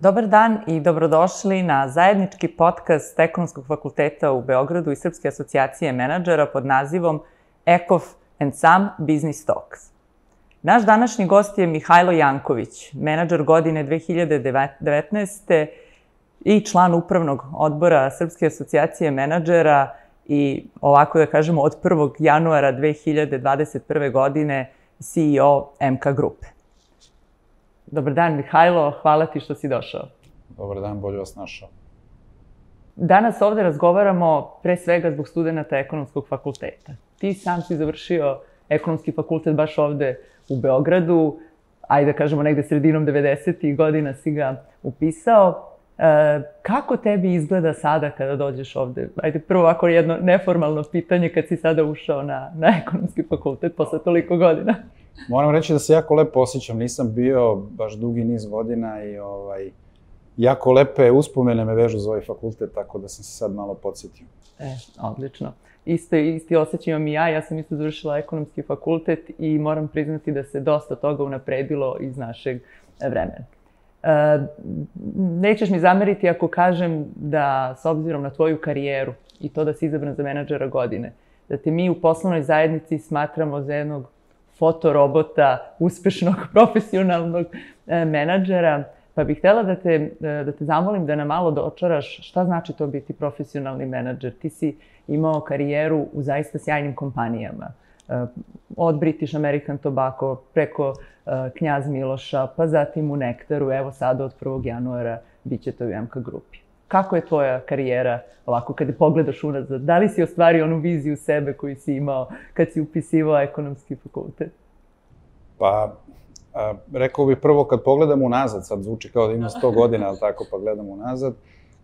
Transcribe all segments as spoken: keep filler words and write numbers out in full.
Dobar dan i dobrodošli na zajednički podcast Ekonomskog fakulteta u Beogradu i Srpske asocijacije menadžera pod nazivom Ekof and Some Business Talks. Naš današnji gost je Mihajlo Janković, menadžer godine dve hiljade devetnaeste. i član upravnog odbora Srpske asocijacije menadžera i ovako da kažemo od prvog januara dve hiljade dvadeset prve. godine C E O M K grupe. Dobar dan, Mihajlo, hvala ti što si došao. Dobar dan, bolje vas našao. Danas ovde razgovaramo pre svega zbog studenta Ekonomskog fakulteta. Ti sam si završio Ekonomski fakultet baš ovde u Beogradu, ajde da kažemo negde sredinom devedesetih godina si ga upisao. E, kako tebi izgleda sada kada dođeš ovde? Ajde, prvo ovako jedno neformalno pitanje kad si sada ušao na, na Ekonomski fakultet posle toliko godina. Moram reći da se jako lepo osjećam, nisam bio baš dugi niz godina i ovaj, jako lepe uspomene me vežu za ovaj fakultet, tako da sam se sad malo podsjetio. E, odlično. Isto, isti osjećaj imam i ja, ja sam isto završila Ekonomski fakultet i moram priznati da se dosta toga unapredilo iz našeg vremena. E, nećeš mi zameriti ako kažem da, s obzirom na tvoju karijeru i to da si izabran za menadžera godine, da te mi u poslovnoj zajednici smatramo za jednog fotorobota, uspešnog, profesionalnog e, menadžera, pa bih htela da te, da te zamolim da nam malo dočaraš šta znači to biti profesionalni menadžer. Ti si imao karijeru u zaista sjajnim kompanijama. E, od British American Tobacco preko e, Knjaz Miloša, pa zatim u Nektaru, evo sada od prvog januara bit će to u M K grupi. Kako je tvoja karijera, ovako, kada pogledaš unazad? Da li si ostvario onu viziju sebe koju si imao kad si upisivao Ekonomski fakultet? Pa, a, rekao bih prvo kad pogledam unazad, sad zvuči kao da ima sto godina, ali tako, pa gledam unazad.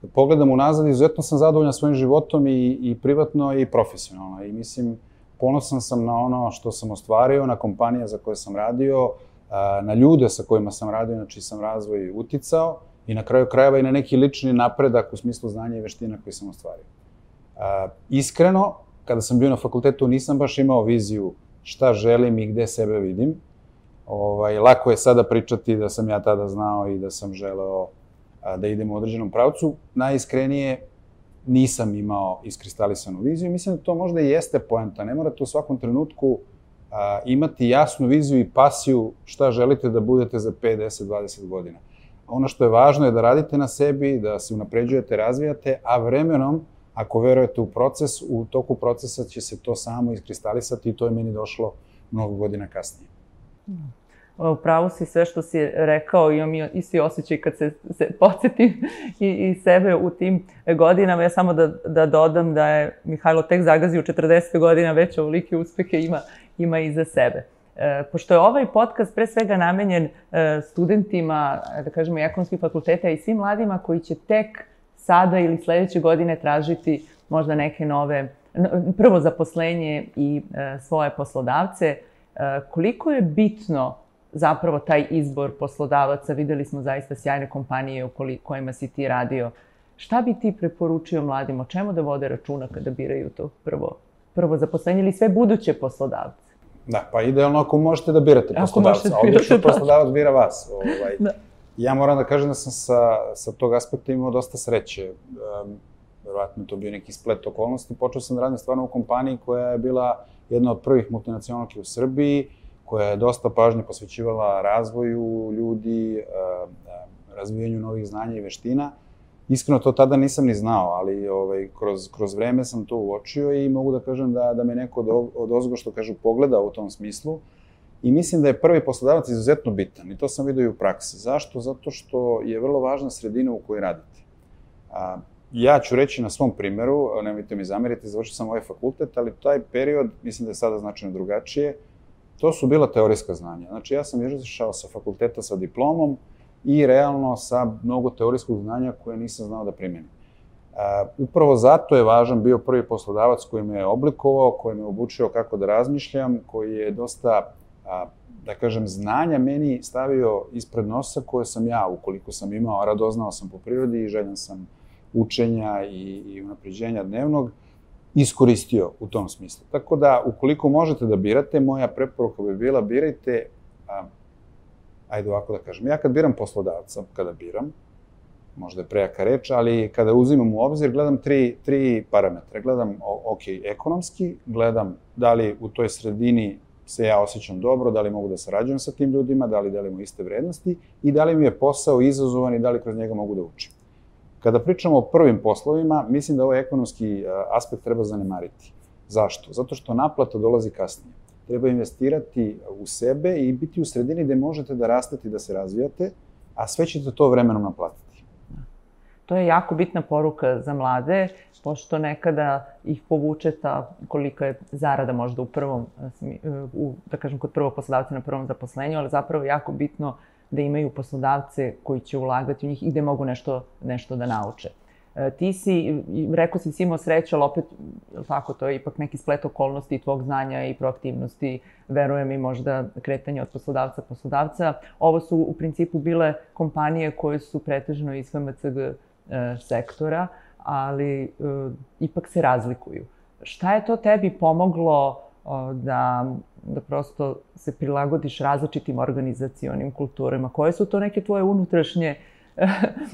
Kad pogledam unazad, izuzetno sam zadovoljan svojim životom i, i privatno i profesionalno. I mislim, ponosan sam na ono što sam ostvario, na kompanije za koje sam radio, a, na ljude sa kojima sam radio, na čiji sam razvoj uticao, i na kraju krajeva i na neki lični napredak u smislu znanja i veština koji sam ostvario. A, iskreno, kada sam bio na fakultetu, nisam baš imao viziju šta želim i gde sebe vidim. Ovaj, lako je sada pričati da sam ja tada znao i da sam želeo a, da idem u određenom pravcu. Najiskrenije, nisam imao iskristalisanu viziju. Mislim da to možda i jeste poenta. Ne morate u svakom trenutku a, imati jasnu viziju i pasiju šta želite da budete za pet, deset, dvadeset godina. Ono što je važno je da radite na sebi, da se unapređujete, razvijate, a vremenom, ako verujete u proces, u toku procesa će se to samo iskristalisati i to je meni došlo mnogo godina kasnije. Upravo si sve što si rekao, imam isti osjećaj kad se, se podsjetim i, i sebe u tim godinama. Ja samo da, da dodam da je Mihajlo tek zagazio četrdeset godina, već ovolike uspehe ima, ima iza sebe. E, pošto je ovaj podcast pre svega namenjen e, studentima, da kažemo, Ekonomskih fakulteta i svim mladima koji će tek sada ili sledeće godine tražiti možda neke nove, prvo zaposlenje i e, svoje poslodavce, e, koliko je bitno zapravo taj izbor poslodavaca? Videli smo zaista sjajne kompanije u kojima si ti radio. Šta bi ti preporučio mladim, o čemu da vode računa kada biraju to prvo, prvo zaposlenje ili sve buduće poslodavce? Da, pa idealno ako možete da birate poslodavca, a obično poslodavac bira vas. Ovaj. Da. Ja moram da kažem da sam sa, sa tog aspekta imao dosta sreće. Um, verovatno je to bio neki splet okolnosti. Počeo sam da radim stvarno u kompaniji koja je bila jedna od prvih multinacionalki u Srbiji, koja je dosta pažnje posvećivala razvoju ljudi, um, razvijanju novih znanja i veština. Iskreno to tada nisam ni znao, ali ovaj, kroz, kroz vreme sam to uočio i mogu da kažem da, da me neko od, od ozgo, što kažu, pogleda u tom smislu. I mislim da je prvi poslodavac izuzetno bitan i to sam vidio i u praksi. Zašto? Zato što je vrlo važna sredina u kojoj radite. A, ja ću reći na svom primeru, nemojte mi zameriti, završio sam ovaj fakultet, ali taj period, mislim da je sada značajno drugačije, to su bila teorijska znanja. Znači ja sam izašao sa fakulteta sa diplomom i realno sa mnogo teorijskog znanja koje nisam znao da primenim. Uh, upravo zato je važan bio prvi poslodavac koji me je oblikovao, koji me je obučio kako da razmišljam, koji je dosta, uh, da kažem, znanja meni stavio ispred nosa koje sam ja, ukoliko sam imao, radoznao sam po prirodi i željan sam učenja i, i unapređenja dnevnog, iskoristio u tom smislu. Tako da, ukoliko možete da birate, moja preporuka bi bila birajte, uh, ajde ovako da kažem, ja kad biram poslodavca, kada biram, možda je prejaka reč, ali kada uzimam u obzir, gledam tri, tri parametre. Gledam, ok, ekonomski, gledam da li u toj sredini se ja osjećam dobro, da li mogu da sarađujem sa tim ljudima, da li delimo iste vrednosti i da li mi je posao izazovan i da li kroz njega mogu da učim. Kada pričamo o prvim poslovima, mislim da ovaj ekonomski aspekt treba zanemariti. Zašto? Zato što naplata dolazi kasnije. Treba investirati u sebe i biti u sredini gde možete da rastete i da se razvijate, a sve ćete to vremenom naplatiti. To je jako bitna poruka za mlade, pošto nekada ih povuče ta kolika je zarada možda u prvom, da kažem, kod prvog poslodavca na prvom zaposlenju, ali zapravo je jako bitno da imaju poslodavce koji će ulagati u njih i gde mogu nešto da nauče. Ti si, rekao si, si imao sreće, ali opet, tako, to je ipak neki splet okolnosti i tvog znanja i proaktivnosti, verujem i možda kretanje od poslodavca poslodavca. Ovo su u principu bile kompanije koje su pretežno iz F M C G sektora, ali ipak se razlikuju. Šta je to tebi pomoglo da prosto se prilagodiš različitim organizacionim kulturama? Koje su to neke tvoje unutrašnje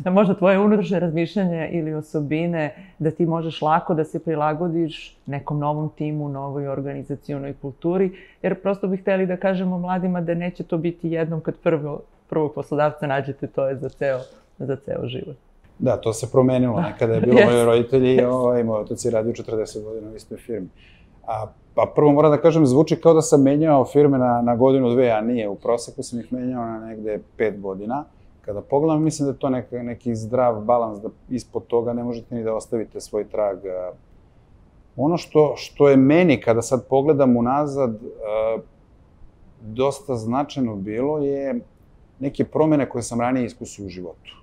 možda tvoje unutrašnje razmišljanje ili osobine da ti možeš lako da se prilagodiš nekom novom timu, novoj organizacionoj kulturi, jer prosto bih hteli da kažemo mladima da neće to biti jednom kad prvog poslodavca nađete, to je za ceo život. Da, to se promenilo. Nekada je bilo moji roditelji i moj otac je radio četrdeset godina u istoj firmi. Pa prvo moram da kažem, zvuči kao da sam menjao firme na godinu, dve, a nije. U proseku sam ih menjao na negde pet godina. Kada pogledam, mislim da je to neki zdrav balans, da ispod toga ne možete ni da ostavite svoj trag. Ono što je meni, kada sad pogledam unazad, dosta značajno bilo je neke promene koje sam ranije iskusio u životu.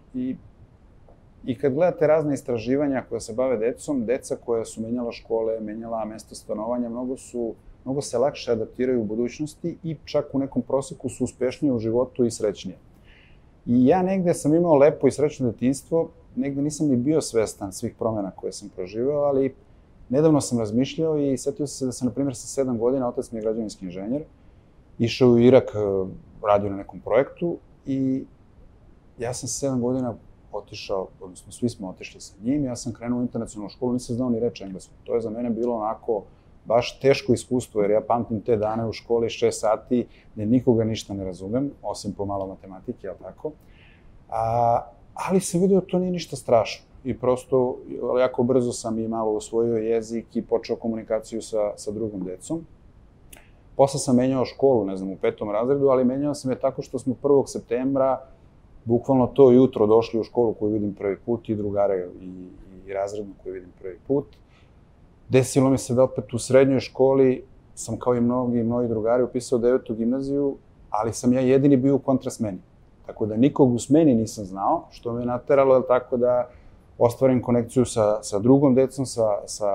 I kad gledate razne istraživanja koja se bave decom, deca koja su menjala škole, menjala mesto stanovanja, mnogo se lakše adaptiraju u budućnosti i čak u nekom proseku su uspešnije u životu i srećnije. I ja negde sam imao lepo i srećno detinjstvo, negde nisam ni bio svestan svih promjena koje sam proživeo, ali nedavno sam razmišljao i setio se da sam, na primjer, sa sedam godina, otac mi je građevinski inženjer, išao u Irak, radio na nekom projektu i ja sam sa sedam godina otišao, odnosno svi smo otišli sa njim, ja sam krenuo u internacionalnu školu, nisam znao ni reč engleskog. To je za mene bilo onako baš teško iskustvo, jer ja pamtim te dane u školi šest sati, gde nikoga ništa ne razumem, osim pomalo matematike, jel tako? Ali sam vidio da to nije ništa strašno. I prosto, jako brzo sam i malo osvojio jezik i počeo komunikaciju sa drugom decom. Posle sam menjao školu, ne znam, u petom razredu, ali menjao sam je tako što smo prvog septembra bukvalno to jutro došli u školu koju vidim prvi put i drugare i razrednu koju vidim prvi put. Desilo mi se da opet u srednjoj školi sam kao i mnogi moji drugari upisao devetu gimnaziju, ali sam ja jedini bio u kontrasmeni. Tako da nikog u smeni nisam znao, što me nateralo, je tako da ostvarim konekciju sa drugom decom, sa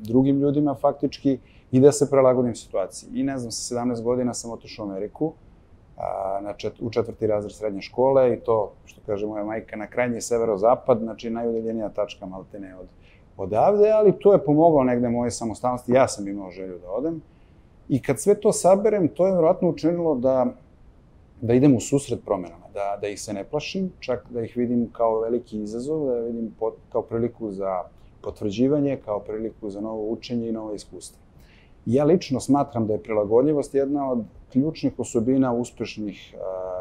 drugim ljudima faktički i da se prilagodim situaciji. I ne znam, sa sedamnaest godina sam otišao u Ameriku, u četvrti razred srednje škole i to, što kaže moja majka, na krajnji severozapad, znači najudaljenija tačka maltene odavde, ali to je pomoglo negde moje samostalnosti, ja sam imao želju da odem. I kad sve to saberem, to je vjerojatno učinilo da idem u susret promenama, da ih se ne plašim, čak da ih vidim kao veliki izazov, da vidim kao priliku za potvrđivanje, kao priliku za novo učenje i novo iskustvo. Ja lično smatram da je prilagodljivost jedna od ključnih osobina uspešnih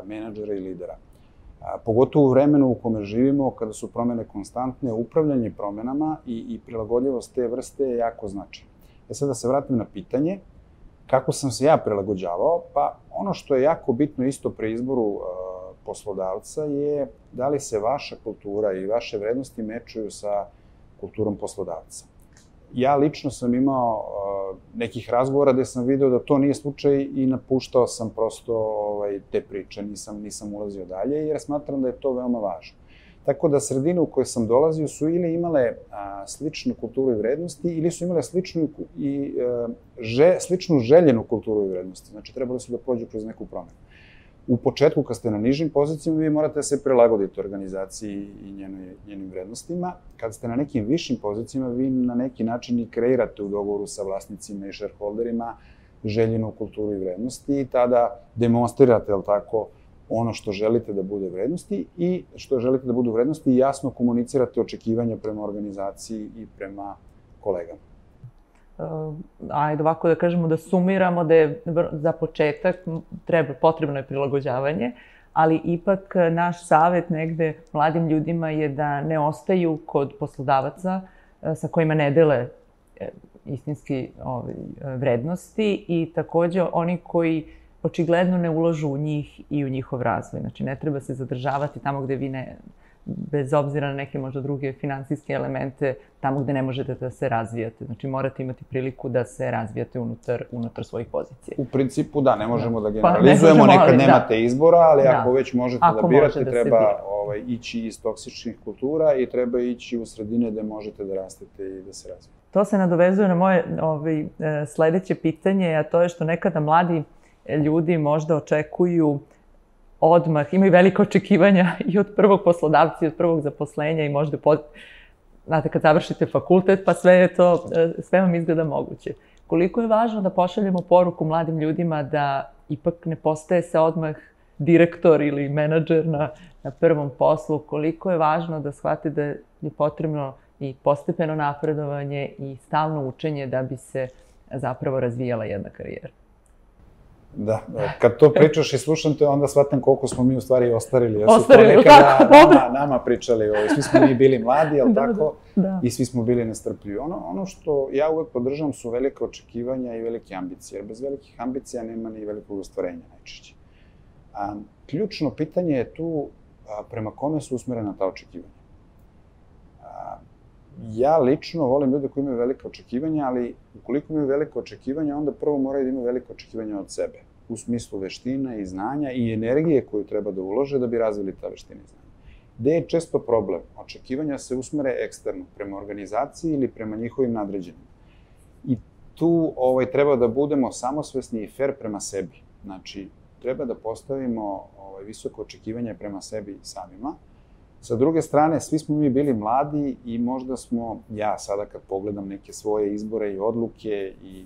menadžera i lidera. Pogotovo u vremenu u kome živimo, kada su promene konstantne, upravljanje promenama i prilagodljivost te vrste je jako značajno. E sad da se vratim na pitanje, kako sam se ja prilagođavao, pa ono što je jako bitno isto pri izboru poslodavca je da li se vaša kultura i vaše vrednosti mečuju sa kulturom poslodavca. Ja lično sam imao nekih razgovora gde sam video da to nije slučaj i napuštao sam prosto te priče, nisam ulazio dalje jer smatram da je to veoma važno. Tako da sredine u kojoj sam dolazio su ili imale sličnu kulturu i vrednosti ili su imale sličnu željenu kulturu i vrednosti. Znači, trebali su da prođu kroz neku promenu. U početku, kad ste na nižim pozicijama, vi morate da se prilagoditi organizaciji i njenim vrednostima. Kad ste na nekim višim pozicijama, vi na neki način i kreirate u dogovoru sa vlasnicima i shareholderima željenu kulturu i vrednosti i tada demonstrirate, jel tako, ono što želite da bude vrednosti i što želite da budu vrednosti i jasno komunicirate očekivanja prema organizaciji i prema kolegama. Ajde ovako da kažemo da sumiramo da je za početak treba, potrebno je prilagođavanje, ali ipak naš savet negde mladim ljudima je da ne ostaju kod poslodavaca sa kojima ne dele istinski vrednosti i takođe oni koji očigledno ne ulažu u njih i u njihov razvoj. Znači, ne treba se zadržavati tamo gde vi ne, bez obzira na neke možda druge finansijske elemente, tamo gde ne možete da se razvijate. Znači, morate imati priliku da se razvijate unutar, unutar svojih pozicija. U principu da, ne možemo da generalizujemo, nekad nemate izbora, ali ako već možete da birate, treba ići iz toksičnih kultura i treba ići u sredine gde možete da rastete i da se razvijete. To se nadovezuje na moje sledeće pitanje, a to je što nekada mladi ljudi možda očekuju odmah, imaju velike očekivanja i od prvog poslodavca i od prvog zaposlenja i možda, znate, kad završite fakultet, pa sve je to, sve vam izgleda moguće. Koliko je važno da pošaljemo poruku mladim ljudima da ipak ne postaje se odmah direktor ili menadžer na, na prvom poslu, koliko je važno da shvate da je potrebno i postepeno napredovanje i stalno učenje da bi se zapravo razvijala jedna karijera. Da, kad to pričaš i slušam te, onda shvatam koliko smo mi u stvari ostarili. Ostarili, ili tako? Nama pričali, svi smo mi bili mladi, ali tako, i svi smo bili nestrpljivi. Ono što ja uvek podržavam su velike očekivanja i velike ambicije, jer bez velikih ambicija nema ni velikog ostvarenja najčešće. Ključno pitanje je tu prema kome su usmerena ta očekivanja. Ja lično volim ljude koji imaju velike očekivanja, ali ukoliko imaju velike očekivanja, onda prvo moraju da imaju velike očekivanja od sebe, u smislu veština i znanja i energije koju treba da ulože da bi razvili ta veština i znanja. Gde je često problem? Očekivanja se usmere eksterno, prema organizaciji ili prema njihovim nadređenima. I tu treba da budemo samosvesni i fair prema sebi. Znači, treba da postavimo visoko očekivanje prema sebi samima. Sa druge strane, svi smo mi bili mladi i možda smo, ja sada kad pogledam neke svoje izbore i odluke i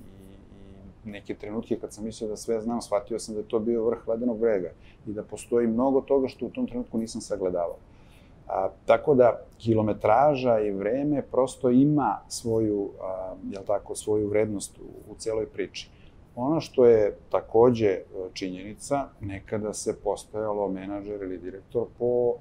neke trenutke kad sam mislio da sve znam, shvatio sam da je to bio vrh ledenog brega i da postoji mnogo toga što u tom trenutku nisam sagledavao. Tako da, kilometraža i vreme prosto ima svoju, jel tako, svoju vrednost u celoj priči. Ono što je takođe činjenica, nekada se postajalo menadžer ili direktor po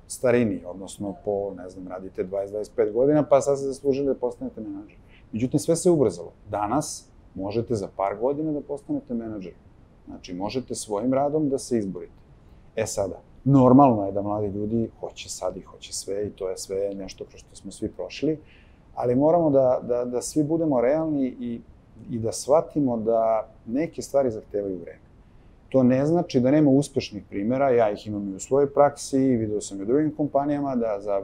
starini, odnosno po, ne znam, radite dvadeset do dvadeset pet godina, pa sad se zaslužili da postanete menadžer. Međutim, sve se ubrzalo. Danas možete za par godina da postanete menadžer. Znači, možete svojim radom da se izborite. E sada, normalno je da mladi ljudi hoće sad i hoće sve i to je sve nešto kroz što smo svi prošli, ali moramo da svi budemo realni i da shvatimo da neke stvari zahtevaju vreme. To ne znači da nema uspešnih primjera, ja ih imam i u svojoj praksi, video sam i u drugim kompanijama, da za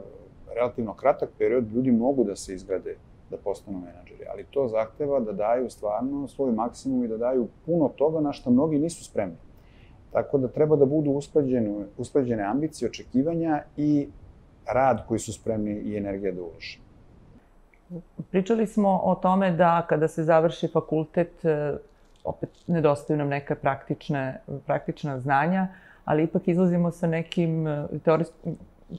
relativno kratak period ljudi mogu da se izgrade, da postanu menadžeri, ali to zahteva da daju stvarno svoj maksimum i da daju puno toga na što mnogi nisu spremni. Tako da treba da budu usklađene ambicije, očekivanja i rad koji su spremni i energija da ulože. Pričali smo o tome da kada se završi fakultet, opet nedostaju nam neka praktična znanja, ali ipak izlazimo sa nekim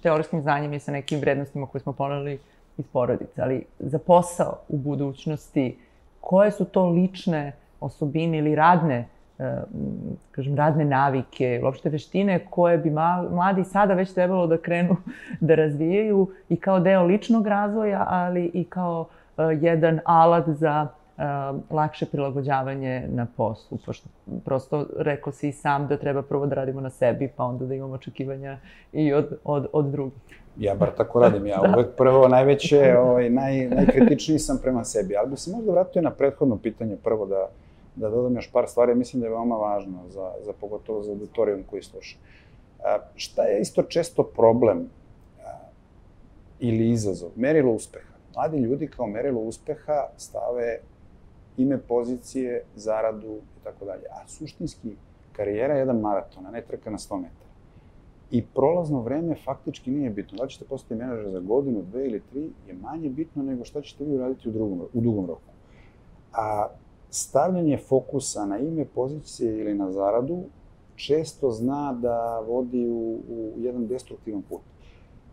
teorijskim znanjem i sa nekim vrednostima koje smo poneli iz porodice. Ali za posao u budućnosti, koje su to lične osobine ili radne, kažem, radne navike, uopšte veštine koje bi mladi sada već trebalo da krenu da razvijaju i kao deo ličnog razvoja, ali i kao jedan alat za lakše prilagođavanje na poslu, pošto prosto rekao si i sam da treba prvo da radimo na sebi, pa onda da imamo očekivanja i od drugih. Ja bar tako radim, ja uvek prvo najveće, najkritičniji sam prema sebi, ali bi se možda vratio na prethodno pitanje prvo da da dodam još par stvari, mislim da je veoma važno, za pogotovo za auditorijum koji sluša. Šta je isto često problem ili izazov? Merilo uspeha. Mladi ljudi kao merilo uspeha stave ime, pozicije, zaradu i tako dalje. A suštinski, karijera je jedan maraton, a ne trka na sto metara. I prolazno vreme faktički nije bitno. Da ćete postati menadžer za godinu, dve ili tri je manje bitno nego šta ćete vi uraditi u dugom roku. A stavljanje fokusa na ime, pozicije ili na zaradu često zna da vodi u, u jedan destruktivan put.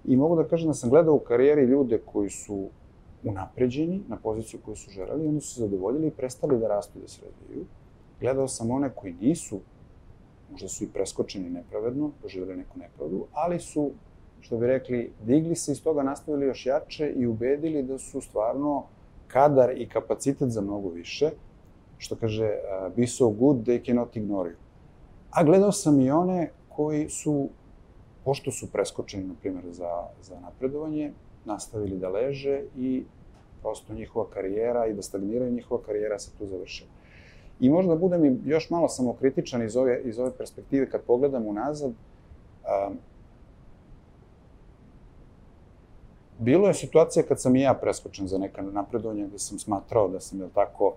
I mogu da kažem da sam gledao u karijeri ljude koji su unapređeni na poziciju koju su želeli, oni su se zadovoljili i prestali da rastu i da se razvijaju. Gledao sam one koji nisu, možda su i preskočeni nepravedno, doživjeli neku nepravdu, ali su, što bi rekli, digli se iz toga, nastavili još jače i ubedili da su stvarno kadar i kapacitet za mnogo više, što kaže, be so good, they cannot ignore you. A gledao sam i one koji su, pošto su preskočeni, na primjer, za, za napredovanje, nastavili da leže i prosto njihova karijera i da stagniraju njihova karijera se tu završila. I možda budem i još malo samokritičan iz ove, iz ove perspektive kad pogledam unazad. A, bilo je situacija kad sam i ja preskočen za neka napredovanja gde sam smatrao da sam, jel tako,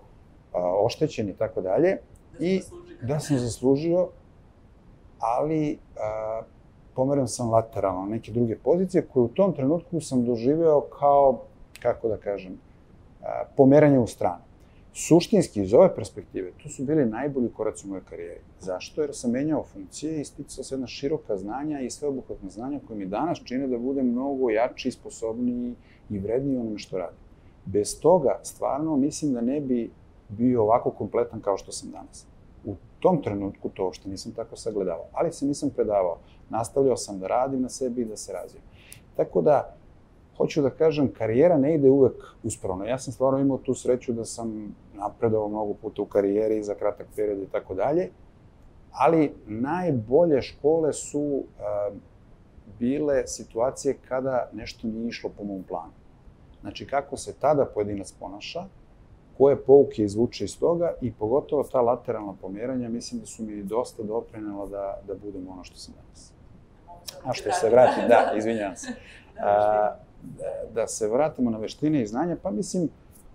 a, oštećen i tako dalje. I da sam zaslužio, ali a, pomeren sam lateralno na neke druge pozicije koje u tom trenutku sam doživeo kao, kako da kažem, a, pomeranje u stranu. Suštinski, iz ove perspektive, to su bili najbolji koraci u mojoj karijeri. Zašto? Jer sam menjao funkcije i sticao se jedna široka znanja i sveobuhvatna znanja koje mi danas čine da budem mnogo jači, sposobniji i vredniji onome što radim. Bez toga, stvarno, mislim da ne bi bio ovako kompletan kao što sam danas. U tom trenutku to uopšte nisam tako sagledavao, ali se nisam predavao. Nastavljao sam da radim na sebi i da se razvijem. Tako da, hoću da kažem, karijera ne ide uvek uspravno. Ja sam stvarno imao tu sreću da sam napredovao mnogo puta u karijeri za kratak period i tako dalje, ali najbolje škole su uh, bile situacije kada nešto nije išlo po mom planu. Znači, kako se tada pojedinac ponaša, koje pouke izvuče iz toga i pogotovo ta lateralna pomjeranja, mislim da su mi dosta doprinela da, da budem ono što sam danas. A što se vratim, da, izvinjavam se. A, da se vratimo na veštine i znanja, pa mislim,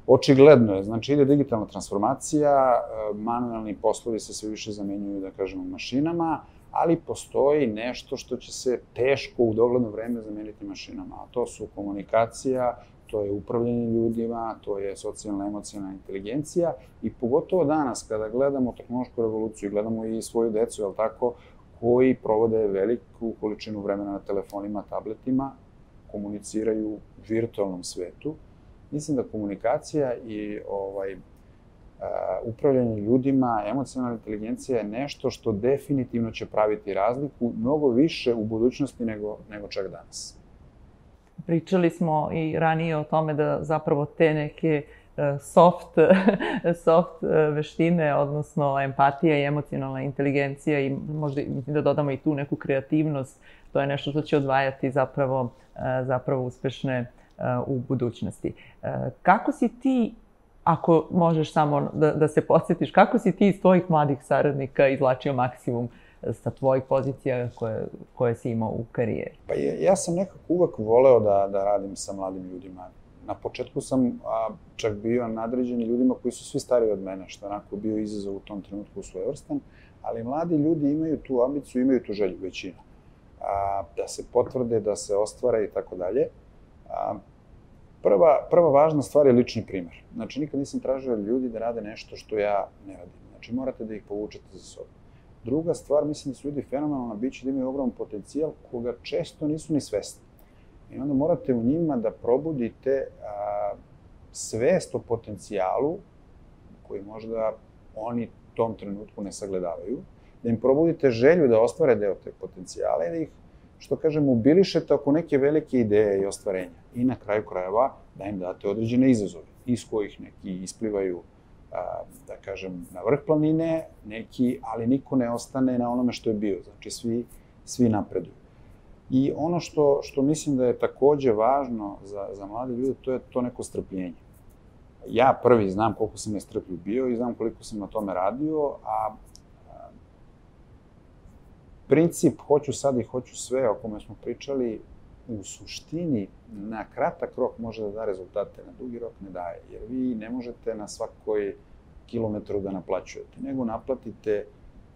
očigledno je, znači ide digitalna transformacija, manualni poslovi se sve više zamenjuju, da kažemo, mašinama, ali postoji nešto što će se teško u dogledno vreme zameniti mašinama, a to su komunikacija, to je upravljanje ljudima, to je socijalna, emocionalna inteligencija i pogotovo danas kada gledamo tehnološku revoluciju, gledamo i svoju decu, jel tako, koji provode veliku količinu vremena na telefonima, tabletima, komuniciraju u virtualnom svetu. Mislim da komunikacija i ovaj, uh, upravljanje ljudima, emocionalna inteligencija je nešto što definitivno će praviti razliku mnogo više u budućnosti nego, nego čak danas. Pričali smo i ranije o tome da zapravo te neke soft, soft veštine, odnosno empatija i emocionalna inteligencija i možda mislim da dodamo i tu neku kreativnost, to je nešto što će odvajati zapravo, zapravo uspešne u budućnosti. Kako si ti, ako možeš samo da, da se podsjetiš, kako si ti iz tvojih mladih saradnika izvlačio maksimum sa tvojih pozicija koje, koje si imao u karijeri? Pa ja, ja sam nekako uvek voleo da, da radim sa mladim ljudima. Na početku sam a, čak bio nadređen ljudima koji su svi stariji od mene, što je onako bio izazov u tom trenutku svojevrstan, ali mladi ljudi imaju tu ambiciju, imaju tu želju, većina. A, da se potvrde, da se ostvare i tako dalje. Prva, prva važna stvar je lični primer. Znači, nikad nisam tražio ljudi da rade nešto što ja ne radim. Znači, morate da ih povučete za sobom. Druga stvar, mislim da su ljudi fenomenalna bića, da imaju ogroman potencijal koga često nisu ni svesni. I onda morate u njima da probudite a, svest o potencijalu koji možda oni u tom trenutku ne sagledavaju, da im probudite želju da ostvare deo te potencijale i da ih, što kažem, mobilišete oko neke velike ideje i ostvarenja. I na kraju krajeva da im date određene izazove, iz kojih neki isplivaju, a, da kažem, na vrh planine, neki, ali niko ne ostane na onome što je bio. Znači, svi, svi napreduju. I ono što, što mislim da je takođe važno za, za mlade ljude, to je to neko strpljenje. Ja prvi znam koliko sam nestrpljiv bio i znam koliko sam na tome radio, a, a princip hoću sad i hoću sve o kome smo pričali, u suštini na kratak rok može da da rezultate, na dugi rok ne daje, jer vi ne možete na svakoj kilometru da naplaćujete, nego naplatite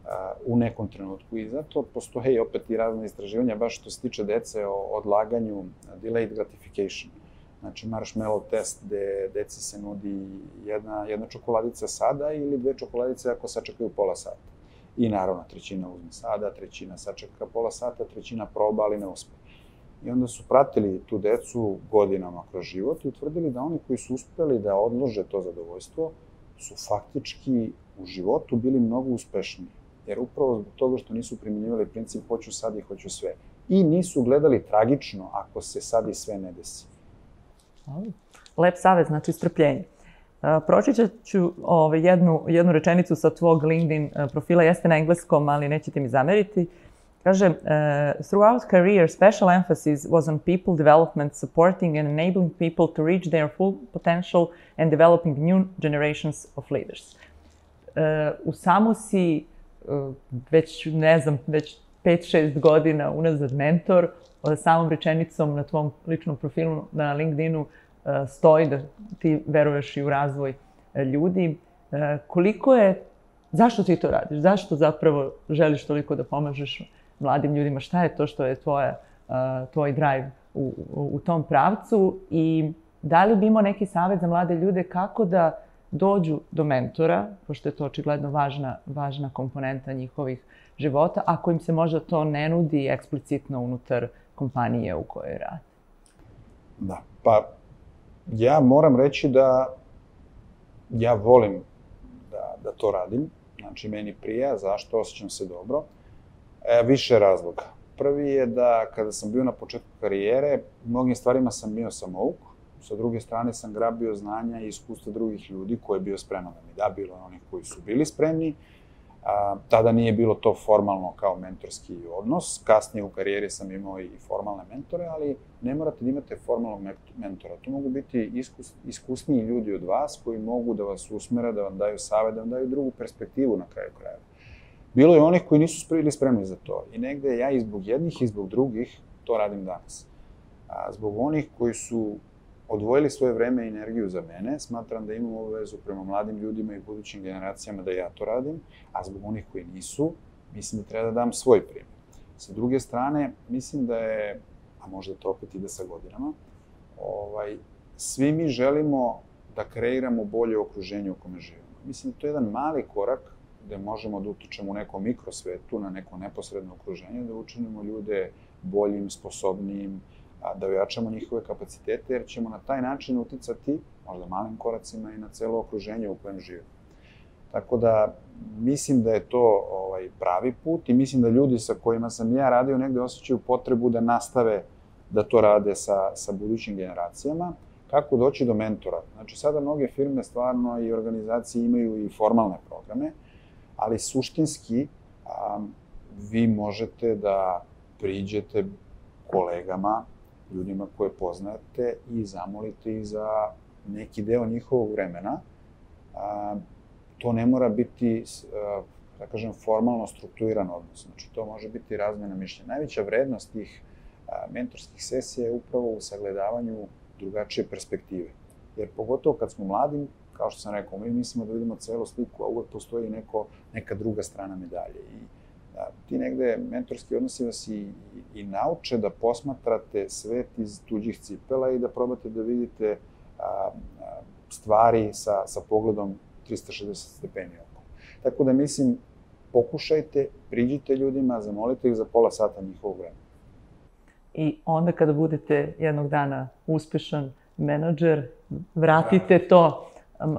a, u nekom trenutku i zato postoje opet i razne istraživanja, baš što se tiče dece o odlaganju, delayed gratification. Znači, marshmallow test gde deci se nudi jedna, jedna čokoladica sada ili dve čokoladice ako sačekaju pola sata. I naravno, trećina uzme sada, trećina sačeka pola sata, trećina proba, ali ne uspe. I onda su pratili tu decu godinama kroz život i utvrdili da oni koji su uspeli da odlože to zadovoljstvo su faktički u životu bili mnogo uspešniji. Jer upravo zbog toga što nisu primjenjivali princip hoću sad i hoću sve. I nisu gledali tragično ako se sad i sve ne desi. Lep savjet, znači strpljenje. Pročitat ću jednu, jednu rečenicu sa tvog LinkedIn profila, jeste na engleskom, ali nećete mi zameriti. Kaže, throughout career, special emphasis was on people development, supporting and enabling people to reach their full potential and developing new generations of leaders. U samo si, već, ne znam, već pet šest godina unazad mentor, samom rečenicom na tvom ličnom profilu na LinkedInu stoji da ti veruješ i u razvoj ljudi. Koliko je, zašto ti to radiš? Zašto zapravo želiš toliko da pomažeš mladim ljudima? Šta je to što je tvoja, tvoj drive u, u tom pravcu? I da li bi imao neki savjet za mlade ljude kako da dođu do mentora, pošto je to očigledno važna, važna komponenta njihovih života, ako im se možda to ne nudi eksplicitno unutar kompanije u kojoj rade? Da, pa ja moram reći da ja volim da, da to radim. Znači, meni prija, zašto, osjećam se dobro. E, više razloga. Prvi je da kada sam bio na početku karijere, mnogim stvarima sam bio samouk. Sa druge strane sam grabio znanja i iskustva drugih ljudi koji je bio spreman da mi da, bilo je onih koji su bili spremni. A, tada nije bilo to formalno kao mentorski odnos. Kasnije u karijeri sam imao i formalne mentore, ali ne morate da imate formalnog mentora. To mogu biti iskus, iskusniji ljudi od vas koji mogu da vas usmere, da vam daju savjet, da vam daju drugu perspektivu na kraju krajeva. Bilo je onih koji nisu bili spremni za to. I negde ja i zbog jednih i zbog drugih to radim danas. A, zbog onih koji su odvojili svoje vreme i energiju za mene, smatram da imam obavezu prema mladim ljudima i budućim generacijama da ja to radim, a zbog onih koji nisu, mislim da treba da dam svoj primjer. Sa druge strane, mislim da je, a možda to opet ide sa godinama, ovaj, svi mi želimo da kreiramo bolje okruženje u kome živimo. Mislim da to je jedan mali korak gde možemo da utičemo u nekom mikrosvetu, na neko neposredno okruženje, da učinimo ljude boljim, sposobnijim, da ojačamo njihove kapacitete, jer ćemo na taj način uticati, možda malim koracima, i na celo okruženje u kojem živimo. Tako da, mislim da je to ovaj, pravi put i mislim da ljudi sa kojima sam ja radio negde osjećaju potrebu da nastave da to rade sa, sa budućim generacijama. Kako doći do mentora? Znači, sada mnoge firme stvarno i organizacije imaju i formalne programe, ali suštinski a, vi možete da priđete kolegama, ljudima koje poznate i zamolite ih za neki deo njihovog vremena. A, to ne mora biti, a, da kažem, formalno strukturiran odnos. Znači, to može biti razmena mišljenja. Najveća vrednost tih a, mentorskih sesija je upravo u sagledavanju drugačije perspektive. Jer pogotovo kad smo mladi, kao što sam rekao, mi mislimo da vidimo celu sliku, a uvek postoji neko, neka druga strana medalje. I da, ti negde mentorski odnosi vas i, i, i nauče da posmatrate svet iz tuđih cipela i da probate da vidite a, a, stvari sa, sa pogledom trista šezdeset stepeni oko. Tako da mislim, pokušajte, priđite ljudima, zamolite ih za pola sata njihovog vremena. I onda kada budete jednog dana uspešan menadžer, vratite to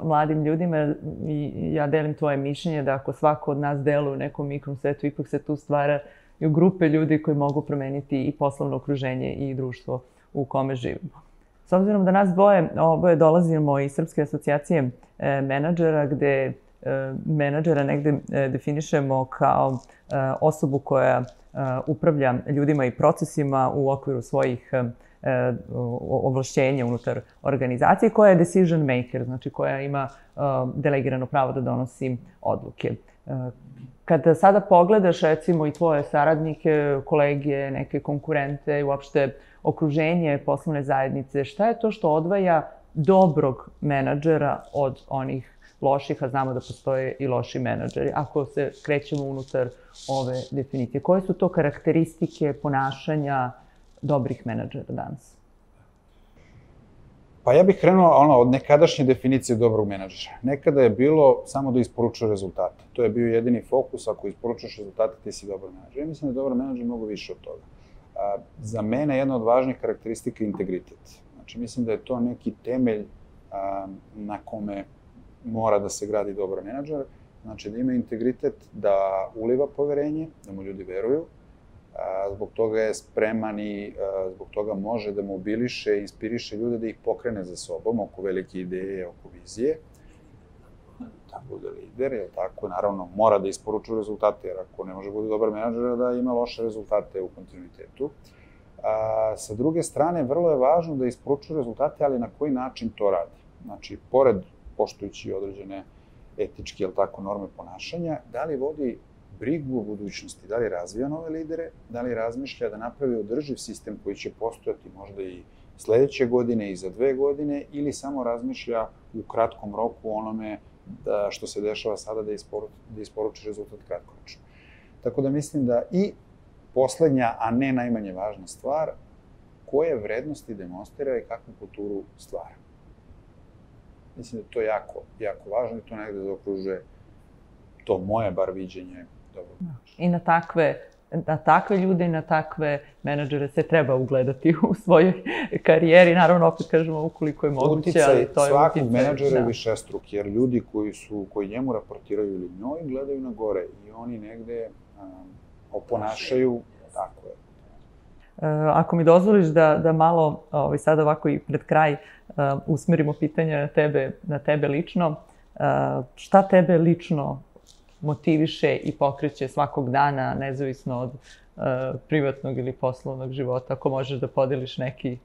mladim ljudima i ja delim tvoje mišljenje da ako svako od nas deluje u nekom mikrom svetu, ipak se tu stvara i u grupe ljudi koji mogu promeniti i poslovno okruženje i društvo u kome živimo. S obzirom da nas dvoje, oboje dolazimo iz Srpske asocijacije menadžera, gde menadžera negde definišemo kao osobu koja upravlja ljudima i procesima u okviru svojih ovlašćenja unutar organizacije, koja je decision maker, znači koja ima delegirano pravo da donosi odluke. Kada sada pogledaš, recimo, i tvoje saradnike, kolege, neke konkurente i uopšte okruženje poslovne zajednice, šta je to što odvaja dobrog menadžera od onih loših, a znamo da postoje i loši menadžeri, ako se krećemo unutar ove definicije? Koje su to karakteristike ponašanja dobrih menadžera danas? Pa ja bih krenuo ono, od nekadašnje definicije dobrog menadžera. Nekada je bilo samo da isporučuje rezultate. To je bio jedini fokus, ako isporučuješ rezultate, ti si dobar menadžer. Ja mislim da je dobar menadžer mnogo više od toga. A, za mene jedna od važnih karakteristika je integritet. Znači, mislim da je to neki temelj a, na kome mora da se gradi dobar menadžer. Znači, da ima integritet, da uliva poverenje, da mu ljudi veruju, zbog toga je spreman i zbog toga može da mobiliše, inspiriše ljude da ih pokrene za sobom oko velike ideje, oko vizije, da bude lider, jer tako, naravno, mora da isporučuje rezultate, jer ako ne može bude dobar menadžer, da ima loše rezultate u kontinuitetu. Sa druge strane, vrlo je važno da isporučuje rezultate, ali na koji način to radi. Znači, pored poštujući određene etičke, ili tako, norme ponašanja, da li vodi brigu o budućnosti, da li razvija nove lidere, da li razmišlja da napravi održiv sistem koji će postojati možda i sledeće godine i za dve godine, ili samo razmišlja u kratkom roku onome da, što se dešava sada da, isporu, da isporuči rezultat kratkoročno. Tako da mislim da i poslednja, a ne najmanje važna stvar, koje vrednosti demonstrira i kakvu kulturu stvara. Mislim da je to jako, jako važno i to negde zaokružuje to moje bar viđenje dobro. I na takve, na takve ljude i na takve menadžere se treba ugledati u svojoj karijeri. Naravno, opet kažemo ukoliko je moguće, ali to je svakog menadžera je višestruk, jer ljudi koji su, koji njemu raportiraju ili njoj, gledaju na gore i oni negde um, oponašaju, tako je. Ako mi dozvoliš da, da malo ovaj, sad ovako i pred kraj uh, usmerimo pitanje na tebe, na tebe lično, uh, šta tebe lično motiviše i pokreće svakog dana, nezavisno od uh, privatnog ili poslovnog života, ako možeš da podeliš neki,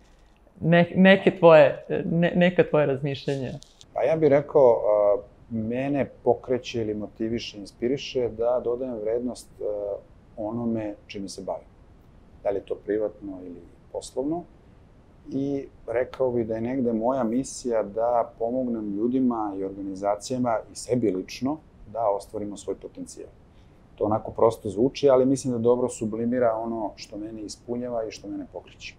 ne, neke tvoje, ne, neka tvoje razmišljenja? Pa ja bih rekao, uh, mene pokreće ili motiviše, inspiriše da dodajem vrednost uh, onome čime se bavim. Da li je to privatno ili poslovno. I rekao bih da je negde moja misija da pomognem ljudima i organizacijama i sebi lično da ostvarimo svoj potencijal. To onako prosto zvuči, ali mislim da dobro sublimira ono što mene ispunjava i što mene pokreće.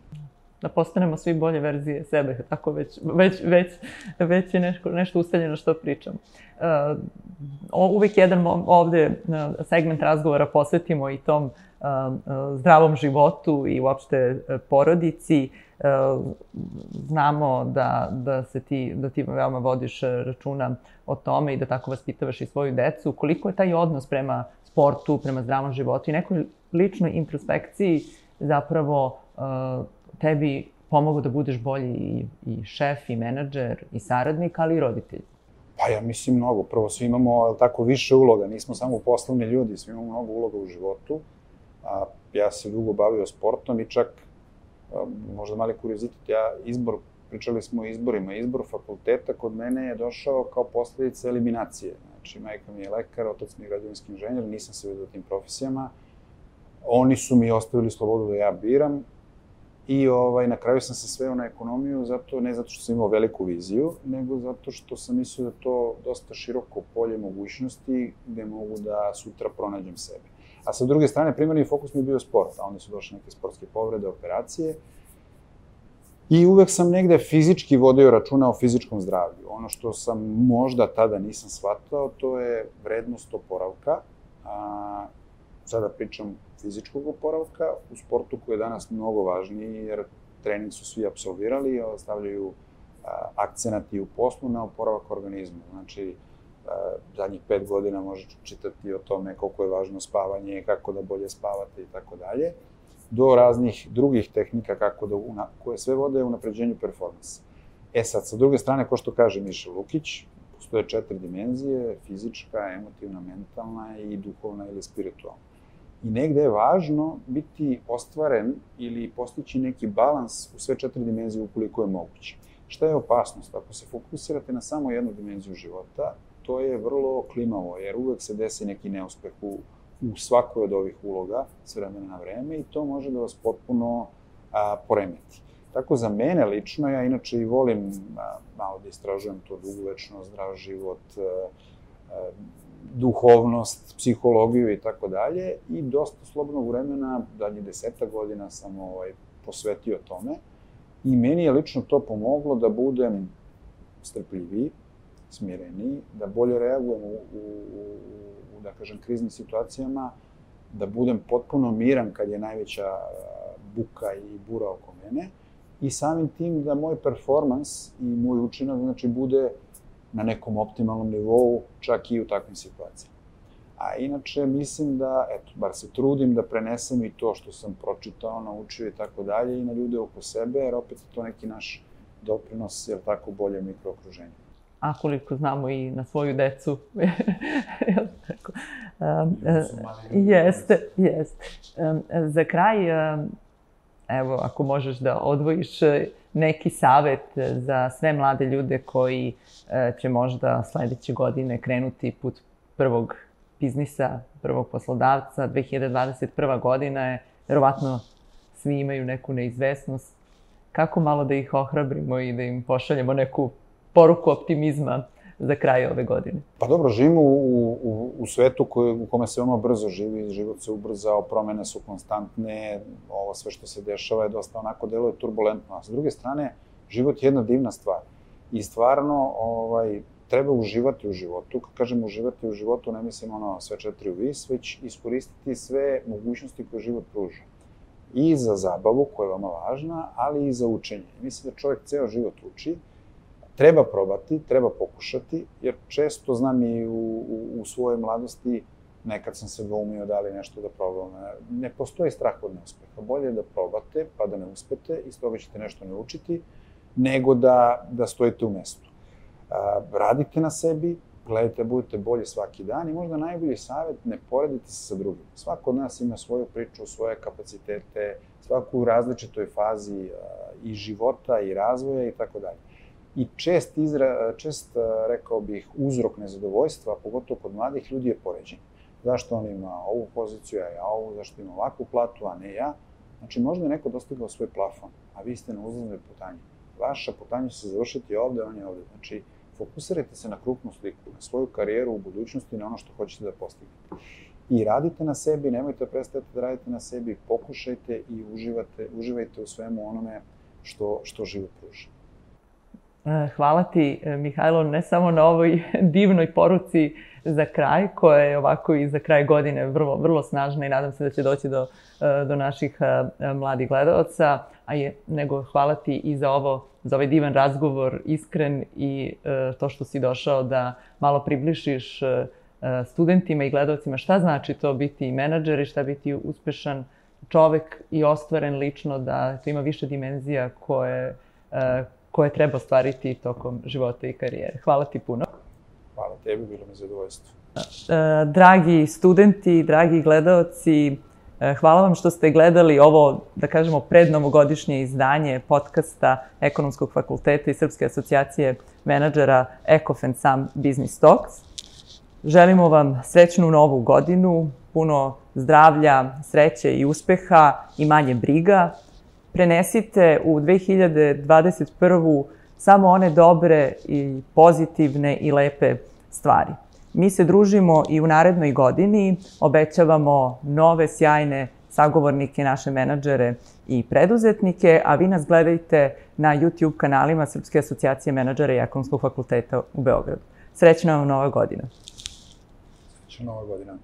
Da postanemo svi bolje verzije sebe, tako već, već, već, već je nešto, nešto ustaljeno što pričam. Uh, uvek jedan ovde segment razgovora posvetimo i tom uh, zdravom životu i uopšte porodici. Uh, znamo da, da, se ti, da ti veoma vodiš računa o tome i da tako vaspitavaš i svoju decu. Koliko je taj odnos prema sportu, prema zdravom životu i nekoj ličnoj introspekciji zapravo uh, tebi pomogao da budeš bolji i, i šef, i menadžer, i saradnik, ali i roditelj? Pa ja mislim mnogo. Prvo, svi imamo tako više uloga. Nismo samo poslovni ljudi, svi imamo mnogo uloga u životu. A, ja se dugo bavio sportom i čak, a, možda mali kuriozitet, ja izbor, pričali smo o izborima, izbor fakulteta kod mene je došao kao posledica eliminacije. Znači, majka mi je lekar, otac mi je građevinski inženjer, nisam se vidio tim profesijama. Oni su mi ostavili slobodu da ja biram. I ovaj, na kraju sam se sveo na ekonomiju, zato, ne zato što sam imao veliku viziju, nego zato što sam mislio da je to dosta široko polje mogućnosti gde mogu da sutra pronađem sebe. A sa druge strane, primarni fokus mi je bio sport, a onda su došle neke sportske povrede, operacije. I uvek sam negde fizički vodio računa o fizičkom zdravlju. Ono što sam možda tada nisam shvatao, to je vrednost oporavka. A, sada pričam fizičkog oporavka u sportu koji je danas mnogo važniji, jer trening su svi apsolvirali, stavljaju akcenat i u poslu na oporavak organizma. Znači, zadnjih pet godina možeš čitati o tome koliko je važno spavanje, kako da bolje spavate i tako dalje, do raznih drugih tehnika kako da, koje sve vode u unapređenju performansa. E sad, sa druge strane, ko što kaže Miša Lukić, postoje četiri dimenzije, fizička, emotivna, mentalna i duhovna ili spiritualna. I negde je važno biti ostvaren ili postići neki balans u sve četiri dimenzije ukoliko je moguće. Šta je opasnost? Ako se fokusirate na samo jednu dimenziju života, to je vrlo klimavo, jer uvek se desi neki neuspeh u, u svakoj od ovih uloga s vremena na vreme i to može da vas potpuno a, poremeti. Tako za mene lično, ja inače i volim a, malo da istražujem to dugovečno, zdrav život, a, a, duhovnost, psihologiju i tako dalje i dosta slobodnog vremena, dalje deseta godina sam ovaj, posvetio tome I meni je lično to pomoglo da budem strpljiviji, smireniji, da bolje reagujem u, u, u, da kažem, kriznim situacijama, da budem potpuno miran kad je najveća buka i bura oko mene i samim tim da moj performans i moj učinak, znači, bude na nekom optimalnom nivou, čak i u takvim situacijama. A inače, mislim da, eto, bar se trudim da prenesem i to što sam pročitao, naučio i tako dalje i na ljude oko sebe, jer opet je to neki naš doprinos, jer tako, bolje mikrookruženje. A koliko znamo i na svoju decu. Jeste, jeste. Za kraj, evo, ako možeš da odvojiš neki savet za sve mlade ljude koji će možda sledeće godine krenuti put prvog biznisa, prvog poslodavca, dve hiljade dvadeset prva godina je, verovatno svi imaju neku neizvesnost. Kako malo da ih ohrabrimo i da im pošaljemo neku poruku optimizma za kraj ove godine? Pa dobro, živimo u, u, u svetu koji, u kome se veoma brzo živi, život se ubrzao, promene su konstantne, ovo sve što se dešava je dosta onako deluje turbulentno, a s druge strane, život je jedna divna stvar. I stvarno, ovaj, treba uživati u životu. Kad kažem uživati u životu, ne mislim ono sve četiri u vis, već iskoristiti sve mogućnosti koje život pruža. I za zabavu, koja je veoma važna, ali i za učenje. Mislim da čovjek ceo život uči, treba probati, treba pokušati, jer često znam i u, u, u svojoj mladosti, nekad sam se dvoumio da li nešto da probam. Ne postoji strah od neuspeha. Bolje je da probate, pa da ne uspete, iz toga ćete nešto naučiti, nego da, da stojite u mestu. A, radite na sebi, gledajte, budete bolji svaki dan i možda najbolji savjet, ne poredite se sa drugim. Svako od nas ima svoju priču, svoje kapacitete, svaku u različitoj fazi a, i života i razvoja i tako dalje. I čest, izra, čest, rekao bih, uzrok nezadovoljstva, pogotovo kod mladih ljudi, je poređenje. Zašto on ima ovu poziciju, a ja ovu, zašto ima ovakvu platu, a ne ja? Znači, možda je neko dostigao svoj plafon, a vi ste na uzlaznoj putanji. Vaša putanja će se završiti ovde, on je ovde. Znači, fokusirajte se na krupnu sliku, na svoju karijeru u budućnosti, na ono što hoćete da postignete. I radite na sebi, nemojte prestajati da radite na sebi, pokušajte i uživate, uživajte u svemu onome što, što život pruža. Hvala ti, Mihajlo, ne samo na ovoj divnoj poruci za kraj, koja je ovako i za kraj godine vrlo, vrlo snažna i nadam se da će doći do, do naših mladih gledalaca, a je, nego hvala ti i za ovo, za ovaj divan razgovor, iskren i to što si došao da malo približiš studentima i gledalcima šta znači to biti menadžer i šta biti uspešan čovek i ostvaren lično, da to ima više dimenzija koje koje treba ostvariti tokom života i karijere. Hvala ti puno. Hvala tebi, bilo mi zadovoljstvo. Dragi studenti, dragi gledaoci, hvala vam što ste gledali ovo, da kažemo, prednovogodišnje izdanje podcasta Ekonomskog fakulteta i Srpske asocijacije menadžera Eko F and Sam Business Talks. Želimo vam srećnu novu godinu, puno zdravlja, sreće i uspeha i manje briga. Prenesite u dve hiljade dvadeset prvu samo one dobre i pozitivne i lepe stvari. Mi se družimo i u narednoj godini, obećavamo nove sjajne sagovornike, naše menadžere i preduzetnike, a vi nas gledajte na YouTube kanalima Srpske asocijacije menadžera i Ekonomskog fakulteta u Beogradu. Srećna vam nova godina. Srećna nova godina.